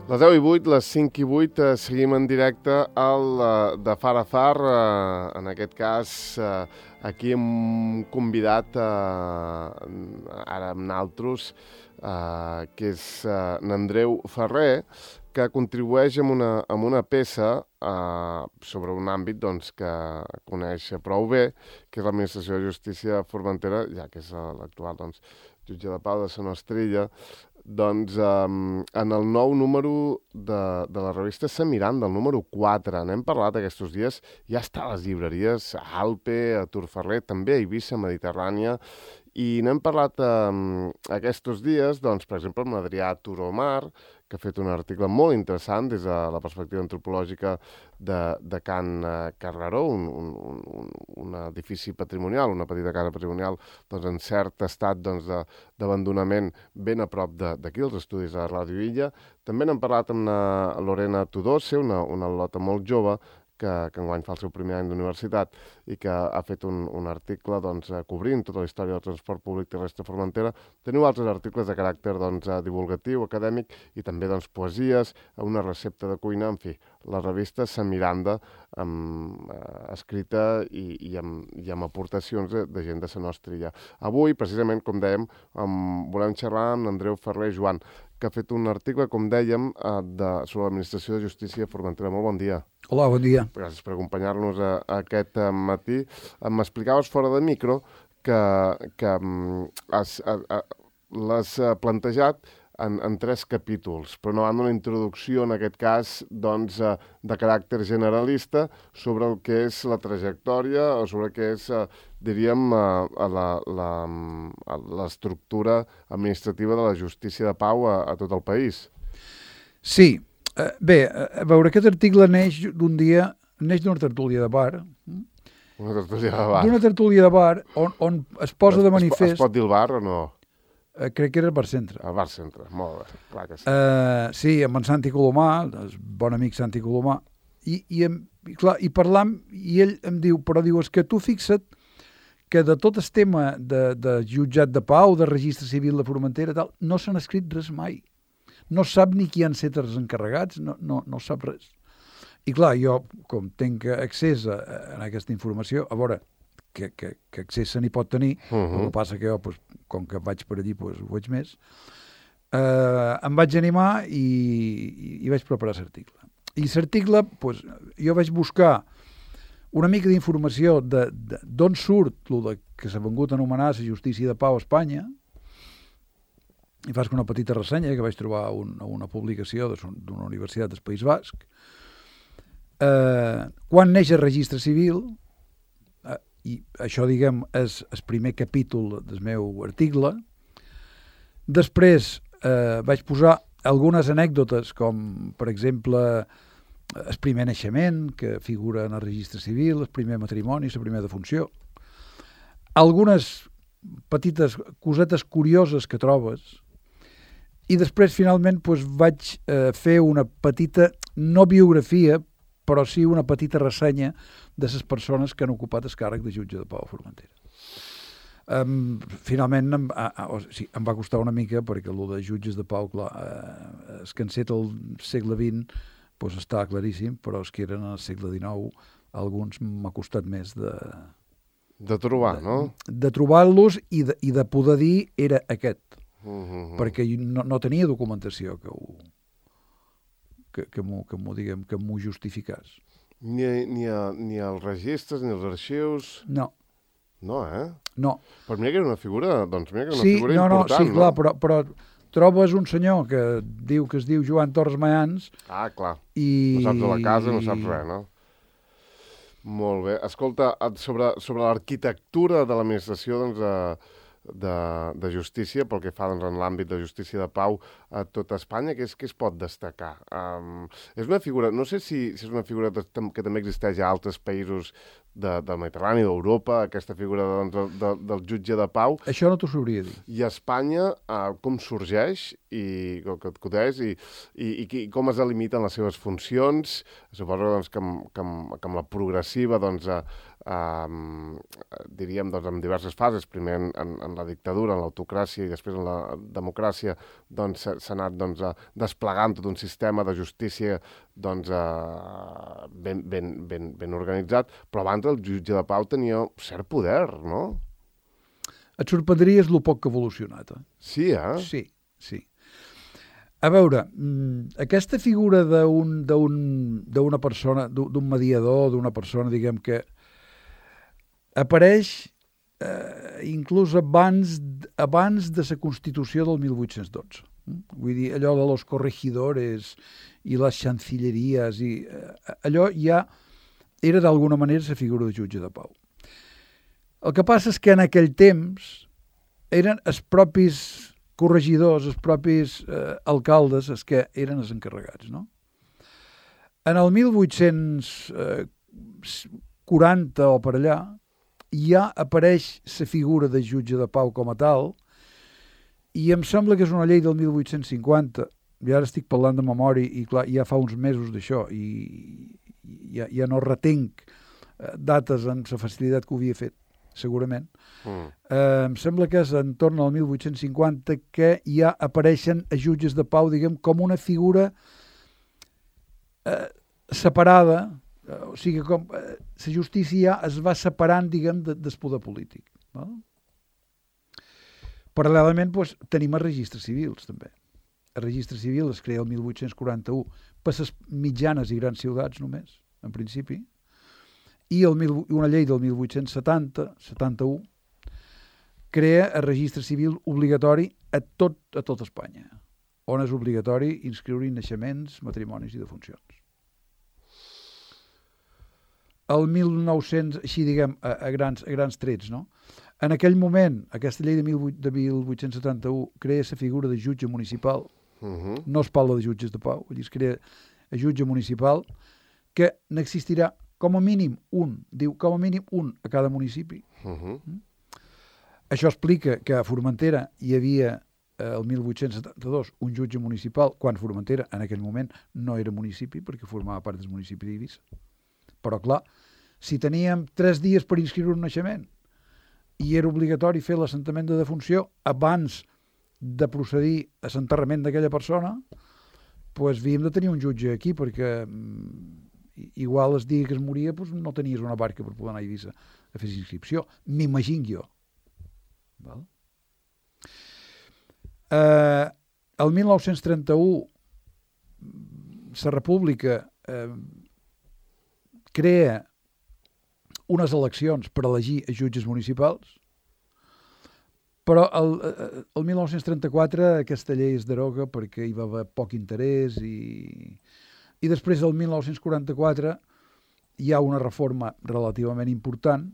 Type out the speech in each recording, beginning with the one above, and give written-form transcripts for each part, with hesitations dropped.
Les 10 i 8, les 5 i 8, seguim en directe al de Far a Far, en aquest cas aquí amb un convidat, ara amb naltros, que és n'Andreu Ferrer, que contribueix amb una peça sobre un àmbit doncs, que coneix prou bé, que és l'Administració de Justícia de Formentera, ja que és l'actual doncs, jutge de pau de Sant Ostrilla. Doncs en el nou número de la revista Sant Miranda, el número 4, n'hem parlat aquests dies, ja està a les llibreries, a Alpe, a Turferrer, també a Eivissa, Mediterrània, i n'hem parlat aquests dies, doncs, per exemple, amb l'Adrià Turomar, que ha fet un article molt interessant des de la perspectiva antropològica de Can Carreró, un edifici patrimonial, una petita casa patrimonial doncs, en cert estat doncs, d'abandonament ben a prop d'aquí, els estudis de Ràdio Illa. També n'hem parlat amb Lorena Tudose, una al·lota molt jove, que enguany fa el seu primer any d'universitat i que ha fet un article doncs, cobrint tota la història del transport públic terrestre a Formentera. Teniu altres articles de caràcter doncs, divulgatiu, acadèmic i també doncs, poesies, una recepta de cuina, en fi, la revista Sant Miranda, escrita i amb aportacions de gent de Sant Ostrilla. Avui, precisament, com dèiem, volem xerrar amb Andreu Ferrer Joan, que ha fet un article, com dèiem, sobre l'Administració de Justícia de Formentera. Molt bon dia. Hola, bon dia. Gràcies per acompanyar-nos aquest matí. M'explicaves fora de micro que l'has plantejat en 3 capítols, però no van una introducció, en aquest cas, doncs, de caràcter generalista sobre el que és la trajectòria o sobre el que és, diríem, l'estructura administrativa de la justícia de pau a tot el país. Sí. Bé, a veure, aquest article neix d'una tertúlia de bar. Una tertúlia de bar. D'una tertúlia de bar on es posa de manifest... Es pot dir el bar o no? Crec que era el Bar Centre. El Bar Centre, molt bé, clar que sí. Sí, amb en Santi Colomà, el bon amic Santi Colomà, i parlam, i ell em diu, és que tu fixa't que de tot el tema de jutjat de pau, de registre civil de Formentera, tal, no s'han escrit res mai. No sap ni qui han estat els encarregats, no sap res. I clar, jo, com tinc accés a aquesta informació, a veure, que accés se n'hi pot tenir, el que passa que jo, com que vaig per allí, ho veig més, em vaig animar i vaig preparar l'article. I l'article, jo vaig buscar una mica d'informació d'on surt el que s'ha vengut a anomenar la justícia de pau a Espanya, i faig una petita ressenya que vaig trobar a una publicació d'una universitat del País Basc. Quan neix el registre civil, i això, diguem, és el primer capítol del meu article, després vaig posar algunes anècdotes, com, per exemple, el primer naixement, que figura en el registre civil, el primer matrimoni, la primera defunció, algunes petites cosetes curioses que trobes. I després, finalment, vaig fer una petita, no biografia, però sí una petita ressenya de les persones que han ocupat el càrrec de jutge de pau a Formentera. Finalment, em va costar una mica, perquè el de jutges de pau, clar, els que han set al segle XX està claríssim, però els que eren al segle XIX, alguns m'ha costat més de trobar, no? De trobar-los i de poder dir era aquest. Perquè no tenia documentació que m'ho justificàs. Ni els registres, ni els arxius... No. No, No. Però mira que era una figura, figura important, sí, clar, però trobes un senyor que diu que es diu Joan Torres Mayans... Ah, clar. No saps de la casa, no saps res, no? Molt bé. Escolta, sobre l'arquitectura de l'administració, doncs, de justícia, pel que fa doncs, en l'àmbit de justícia de pau a tota Espanya, què es pot destacar? És una figura, no sé si és una figura que també existeix a altres països del Mediterrani, d'Europa, aquesta figura del jutge de pau. Això no t'ho sabria dir. I a Espanya, com sorgeix i com es delimiten les seves funcions? Suposo doncs, que amb la progressiva doncs, diríem, doncs, en diverses fases, primer en la dictadura, en l'autocràcia i després en la democràcia, doncs s'ha anat desplegant tot un sistema de justícia doncs, ben organitzat, però abans el jutge de pau tenia cert poder, no? Et sorprendries lo poc que ha evolucionat. Sí, Sí. A veure, aquesta figura d'una persona, d'un mediador, d'una persona, diguem que apareix inclús abans de la Constitució del 1812. Vull dir, allò de los corregidores i les chancilleries, i allò ja era d'alguna manera la figura de jutge de pau. El que passa és que en aquell temps eren els propis corregidors, els propis alcaldes, els que eren els encarregats, no? En el 1840 o per allà, ja apareix la figura de jutge de pau com a tal, i em sembla que és una llei del 1850, i ara estic parlant de memòria, i clar, ja fa uns mesos d'això, i ja no retenc dates amb la facilitat que ho havia fet, segurament. Em sembla que és entorn al 1850 que ja apareixen a jutges de pau, diguem, com una figura separada, o sigui, com la justícia ja es va separant, diguem, del poder polític. No? Paral·lelament, doncs, tenim els registres civils, també. El registre civil es crea el 1841 per les mitjanes i grans ciutats només, en principi, i una llei del 1871 crea el registre civil obligatori a tot Espanya, on és obligatori inscriure naixements, matrimonis i defuncions. El 1900, així diguem, a grans trets, no? En aquell moment, aquesta llei de 1871 crea la figura de jutge municipal, no es parla de jutges de pau, es crea el jutge municipal, que n'existirà com a mínim un a cada municipi. Això explica que a Formentera hi havia el 1872 un jutge municipal, quan Formentera en aquell moment no era municipi, perquè formava part del municipi d'Eivissa. Però clar, si teníem 3 dies per inscriure un naixement i era obligatori fer l'assentament de defunció abans de procedir a l'enterrament d'aquella persona, doncs havíem de tenir un jutge aquí, perquè igual el dia que es moria doncs no tenies una barca per poder anar a Eivissa a fer inscripció. M'imagino jo. Val? El 1931 la República crea unes eleccions per elegir els jutges municipals, però el 1934 aquesta llei es deroga perquè hi va haver poc interès i després del 1944 hi ha una reforma relativament important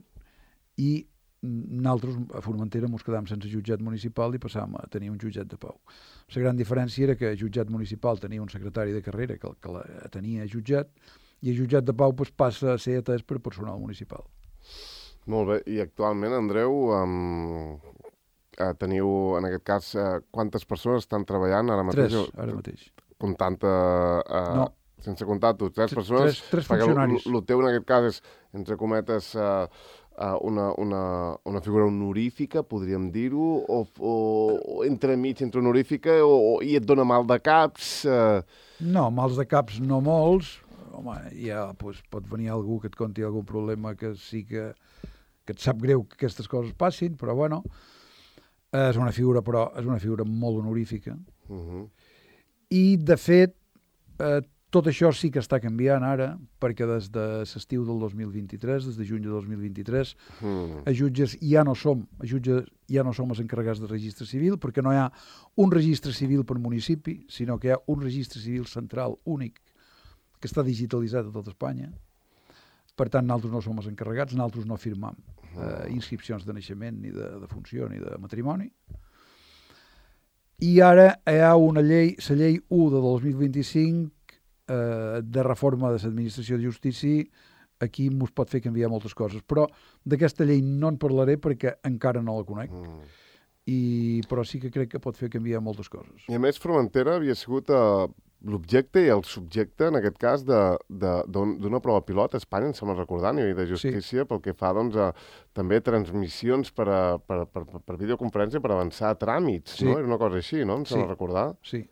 i nosaltres a Formentera ens quedàvem sense jutjat municipal i passàvem a tenir un jutjat de pau. La gran diferència era que el jutjat municipal tenia un secretari de carrera que la tenia jutjat i el jutjat de pau passa a ser atès per personal municipal. Molt bé, i actualment, Andreu, teniu, en aquest cas, quantes persones estan treballant ara mateix? 3, ara mateix. Comptant... No. Sense comptar tu, 3 persones? 3 funcionaris. El teu, en aquest cas, és, entre cometes, una figura honorífica, podríem dir-ho, o entremig entre honorífica i et dona mal de caps? No, mals de caps no molts. Home, ja pot venir algú que et conti algun problema que sí que et sap greu que aquestes coses passin, però bueno, és una figura molt honorífica. I, de fet, tot això sí que està canviant ara, perquè des de l'estiu del 2023, des de juny de 2023, els jutges ja no som els encarregats de registre civil, perquè no hi ha un registre civil per municipi, sinó que hi ha un registre civil central únic, que està digitalitzat a tot Espanya. Per tant, nosaltres no som els encarregats, nosaltres no firmam inscripcions de naixement, ni de defunció, ni de matrimoni. I ara hi ha una llei, la llei 1 de 2025, de reforma de l'administració de justícia, aquí ens pot fer canviar moltes coses. Però d'aquesta llei no en parlaré perquè encara no la conec. Però sí que crec que pot fer canviar moltes coses. I a més, Formentera havia sigut l'objecte i el subjecte, en aquest cas, d'una prova pilot a Espanya, em sembla recordar, a nivell de justícia, pel que fa, doncs, a també transmissions per videoconferència per avançar a tràmits, no? Era una cosa així, no? Em sembla recordar. Sí,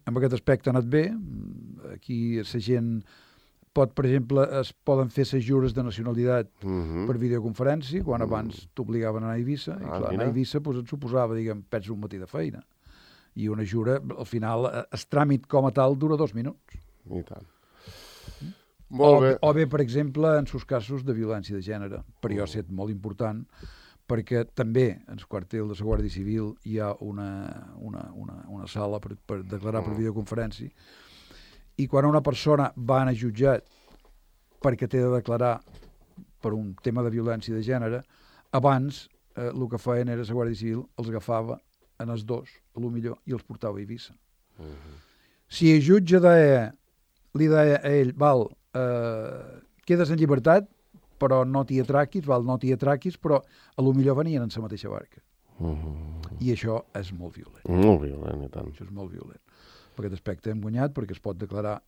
amb aquest aspecte ha anat bé. Aquí la gent pot, per exemple, es poden fer les jures de nacionalitat per videoconferència, quan abans t'obligaven a anar a Eivissa, i clar, anar a Eivissa et suposava, perds un matí de feina. I una jura, al final, el tràmit com a tal dura 2 minuts. I tant. Molt bé. O bé, per exemple, en els casos de violència de gènere, per jo ha estat molt important, perquè també en el quartel de la Guàrdia Civil hi ha una sala per declarar per videoconferència, i quan una persona va anar jutjat perquè té de declarar per un tema de violència de gènere, abans el que feien era la Guàrdia Civil els agafava en els dos, a lo millor, i els portava a Eivissa. Si el jutge li deia a ell, quedes en llibertat, però no t'hi atraquis, però a lo millor venien en la mateixa barca. I això és molt violent. Molt violent, i tant. Això és molt violent. Per aquest aspecte hem guanyat, perquè es pot declarar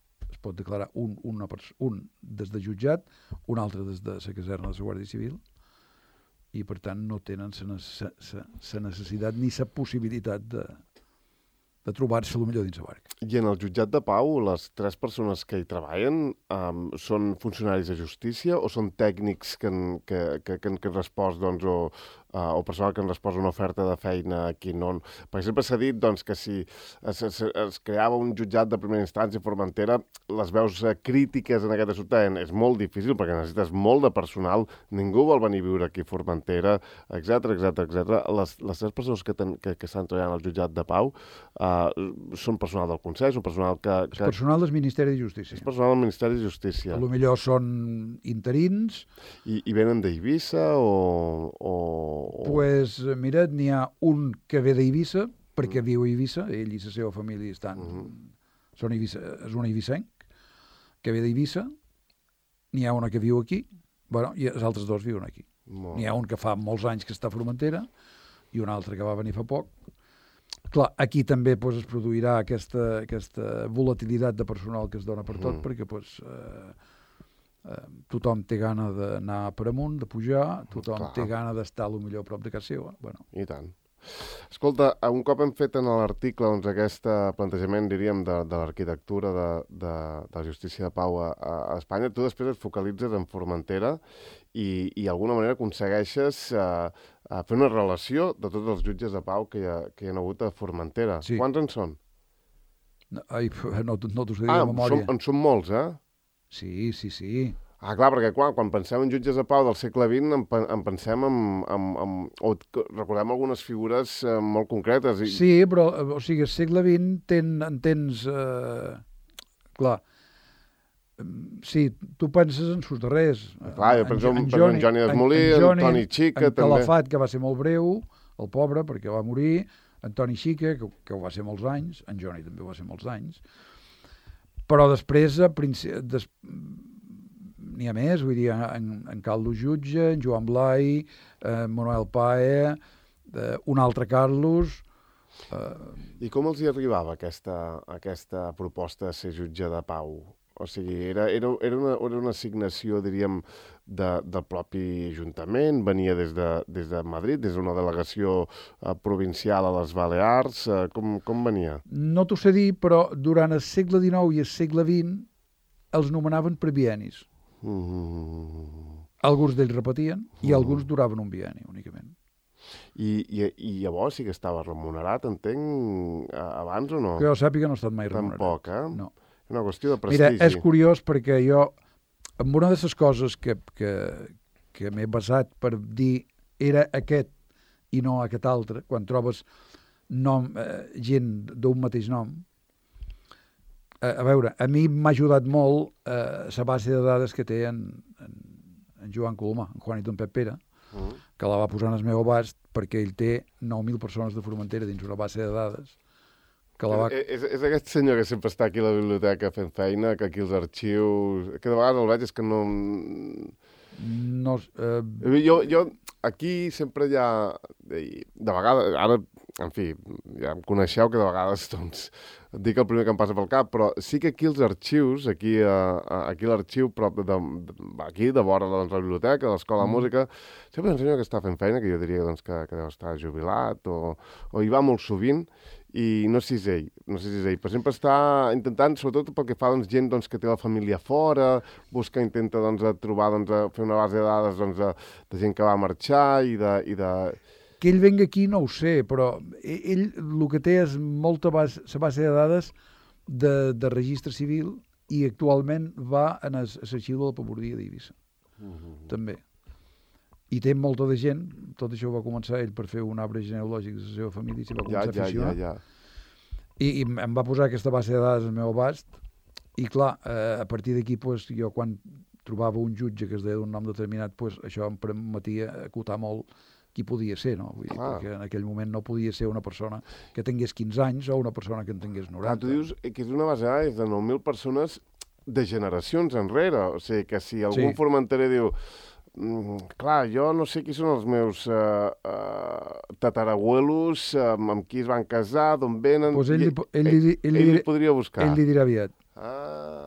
un des de jutjat, un altre des de la caserna de la Guàrdia Civil, i per tant no tenen la necessitat ni la possibilitat de trobar-se potser dins la barca. I en el jutjat de pau, les 3 persones que hi treballen són funcionaris de justícia o són tècnics que han respost, doncs, o personal que han respost una oferta de feina aquí? No? Perquè sempre s'ha dit, doncs, que si es creava un jutjat de primera instància a Formentera, les veus crítiques en aquest assumpte és molt difícil perquè necessites molt de personal, ningú vol venir a viure aquí a Formentera, etc. Les 3 persones que estan treballant al jutjat de pau són personal del Consell, són personal És personal del Ministeri de Justícia. És personal del Ministeri de Justícia. A lo millor són interins. I venen d'Eivissa o... Pues, mira, n'hi ha un que ve d'Eivissa, perquè viu a Eivissa, ell i la seva família estan... és un eivissenc, que ve d'Eivissa. N'hi ha una que viu aquí, i els altres 2 viuen aquí. N'hi ha un que fa molts anys que està a Formentera i un altre que va venir fa poc. Clar, aquí també es produirà aquesta volatilitat de personal que es dona per tot, perquè tothom té gana d'anar per amunt, de pujar, tothom té gana d'estar potser a prop de casa seva. I tant. Escolta, un cop hem fet en l'article doncs, aquest plantejament, diríem, de l'arquitectura de la justícia de pau a Espanya, tu després et focalitzes en Formentera i d'alguna manera aconsegueixes fer una relació de tots els jutges de pau que hi ha hagut a Formentera. Sí. Quants en són? No t'ho sé dir de memòria. En són molts, eh? Sí. Clar, perquè quan pensem en jutges de pau del segle XX en pensem o recordem algunes figures molt concretes. Sí, però, o sigui, el segle XX tens... clar, sí, tu penses en sus darrers. Clar, jo penso en Johnny Desmolí, en Toni Xica, també. En Calafat, que va ser molt breu, el pobre, perquè va morir, en Toni Xica, que ho va ser molts anys, en Johnny també ho va ser molts anys, però després n'hi ha més, vull dir, en Carlos Jutge, en Joan Blai, Manuel Pae, un altre Carlos... I com els hi arribava aquesta proposta de ser jutge de pau? O sigui, era una assignació, diríem, del propi Ajuntament, venia des de Madrid, des d'una delegació provincial a les Balears, com venia? No t'ho sé dir, però durant el segle XIX i el segle XX els nomenaven per biennis. Alguns d'ells repetien i alguns duraven un bienni únicament. I llavors sí que estava remunerat, entenc, abans o no? Que jo sàpiga no ha estat mai remunerat. Tampoc, eh? No. És una qüestió de prestigi. Mira, és curiós perquè jo, amb una de les coses que m'he basat per dir era aquest i no aquest altre, quan trobes gent d'un mateix nom, a veure, a mi m'ha ajudat molt la base de dades que té en Joan Colomà, en Juanito en Pep Pere, que la va posar en el meu abast perquè ell té 9.000 persones de Formentera dins una base de dades. És aquest senyor que sempre està aquí a la biblioteca fent feina, que aquí els arxius... Que de vegades el veig és que no... Jo aquí sempre hi ha... De vegades, ara en fi, ja em coneixeu que de vegades, doncs, et dic el primer que em passa pel cap, però sí que aquí els arxius, aquí l'arxiu, prop aquí, de vora doncs, la biblioteca, de l'Escola de Música, sempre un senyor que està fent feina, que jo diria doncs, que deu estar jubilat, o hi va molt sovint, i no sé si és ell, però sempre està intentant, sobretot pel que fa doncs, gent doncs, que té la família fora, intenta doncs, trobar, doncs, fer una base de dades doncs, de gent que va marxar i de... Que ell venga aquí no ho sé, però ell el que té és molta base de dades de registre civil i actualment va en l'arxiu de la pabordia d'Eivissa. També. I té molta de gent, tot això ho va començar ell per fer un arbre genealògic de la seva família i s'hi va començar a aficionar. I em va posar aquesta base de dades al meu abast i clar, a partir d'aquí pues, jo quan trobava un jutge que es deia d'un nom determinat, pues, això em permetia acotar molt qui podia ser, no? Vull dir, perquè en aquell moment no podia ser una persona que tingués 15 anys o una persona que en tingués 90. Tu dius que és una base de dades de 9.000 persones de generacions enrere, o sigui que si algun formenterer diu clar, jo no sé qui són els meus tatarabuelos, amb qui es van casar, d'on venen... Pues ell li podria buscar. Ell li dirà aviat.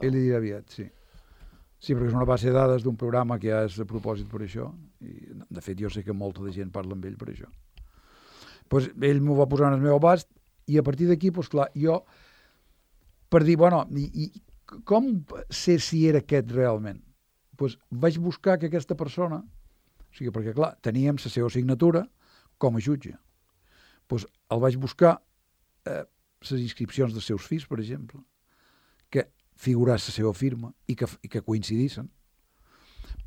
Ell li dirà aviat, sí. Sí, perquè és una base de dades d'un programa que ja és a propòsit per això. I, de fet, jo sé que molta de gent parla amb ell per això. Pues ell m'ho va posar en el meu abast i a partir d'aquí, pues, clar, jo, per dir, bueno, i com sé si era aquest realment? Pues vaig buscar que aquesta persona, o sigui, perquè, clar, teníem la seva signatura com a jutge. Pues el vaig buscar les inscripcions dels seus fills, per exemple, que figuràs la seva firma i que coincidissin.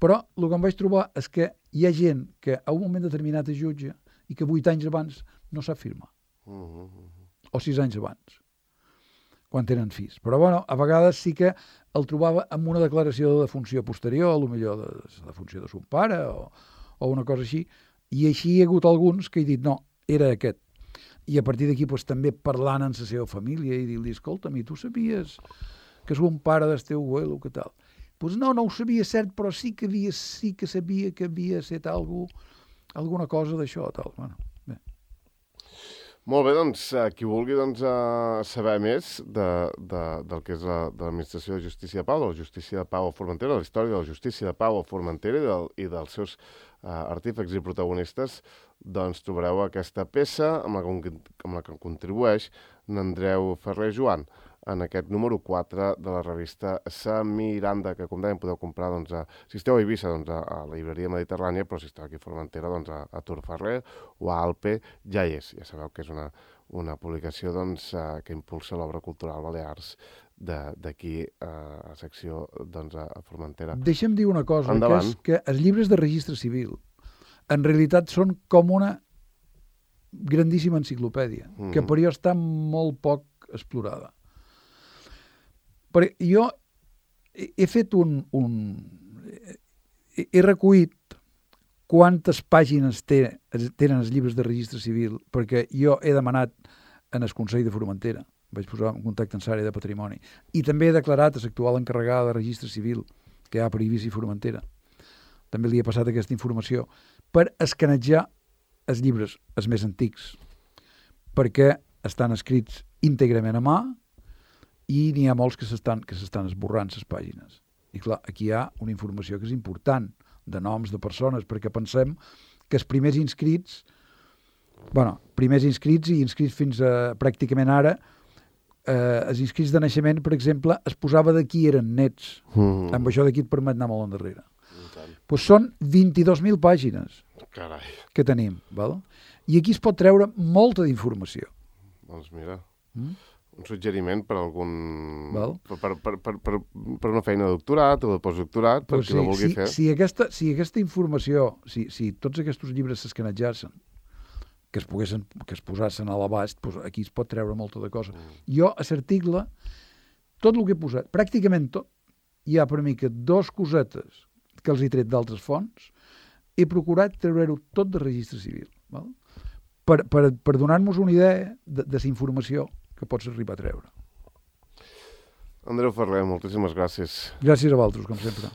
Però el que em vaig trobar és que hi ha gent que a un moment determinat és jutge i que 8 anys abans no sap firmar. O 6 anys abans, quan tenen fills. Però, bueno, a vegades sí que el trobava amb una declaració de defunció posterior, potser de la defunció de son pare o una cosa així, i així hi ha hagut alguns que he dit, no, era aquest. I a partir d'aquí pues, també parlant amb la seva família i dir-li, escolta'm, i tu sabies que és un pare del teu abuelo, que tal? Doncs no ho sabia cert, però sí que sabia que havia estat alguna cosa d'això, tal. Bueno, bé. Molt bé, doncs, qui vulgui doncs, saber més del que és de l'Administració de Justícia de Pau, de la Justícia de Pau a Formentera, de la història de la Justícia de Pau a Formentera i dels seus artífecs i protagonistes, doncs trobareu aquesta peça amb la que contribueix n'Andreu Ferrer Joan en aquest número 4 de la revista Sa Miranda, que com dèiem podeu comprar, doncs, si esteu a Eivissa, doncs, a la llibreria Mediterrània, però si esteu aquí a Formentera, doncs, a Tor Ferrer o a Alpe, ja hi és. Ja sabeu que és una publicació doncs, que impulsa l'obra cultural Balears d'aquí a la secció doncs, a Formentera. Deixa'm dir una cosa, endavant. Que els llibres de registre civil en realitat són com una grandíssima enciclopèdia, que per jo està molt poc explorada. Perquè jo he fet he recollit quantes pàgines tenen els llibres de registre civil, perquè jo he demanat en el Consell de Formentera, vaig posar en contacte amb l'àrea de patrimoni, i també he declarat a l'actual encarregada de registre civil que hi ha per Eivissa i Formentera. També li he passat aquesta informació per escanejar els llibres, els més antics, perquè estan escrits íntegrament a mà i n'hi ha molts que s'estan esborrant les pàgines. I clar, aquí hi ha una informació que és important, de noms de persones, perquè pensem que els primers inscrits i inscrits fins a pràcticament ara, els inscrits de naixement, per exemple, es posava de qui eren nets. Amb això d'aquí et permet anar molt endarrere. Doncs són 22.000 pàgines que tenim. Val? I aquí es pot treure molta d'informació. Doncs mira, un suggeriment per algun... per una feina de doctorat o de postdoctorat, per qui la vulgui fer. Si aquesta informació, si tots aquests llibres s'escanejassin, que es posassin a l'abast, doncs aquí es pot treure molta de cosa. Jo, a l'article, tot el que he posat, pràcticament tot, hi ha per mi que 2 cosetes que els he tret d'altres fonts, he procurat treure-ho tot de registre civil. Val? Per donar-nos una idea de la informació que pots arribar a treure. Andreu Ferrer, moltíssimes gràcies. Gràcies a vosaltres, com sempre.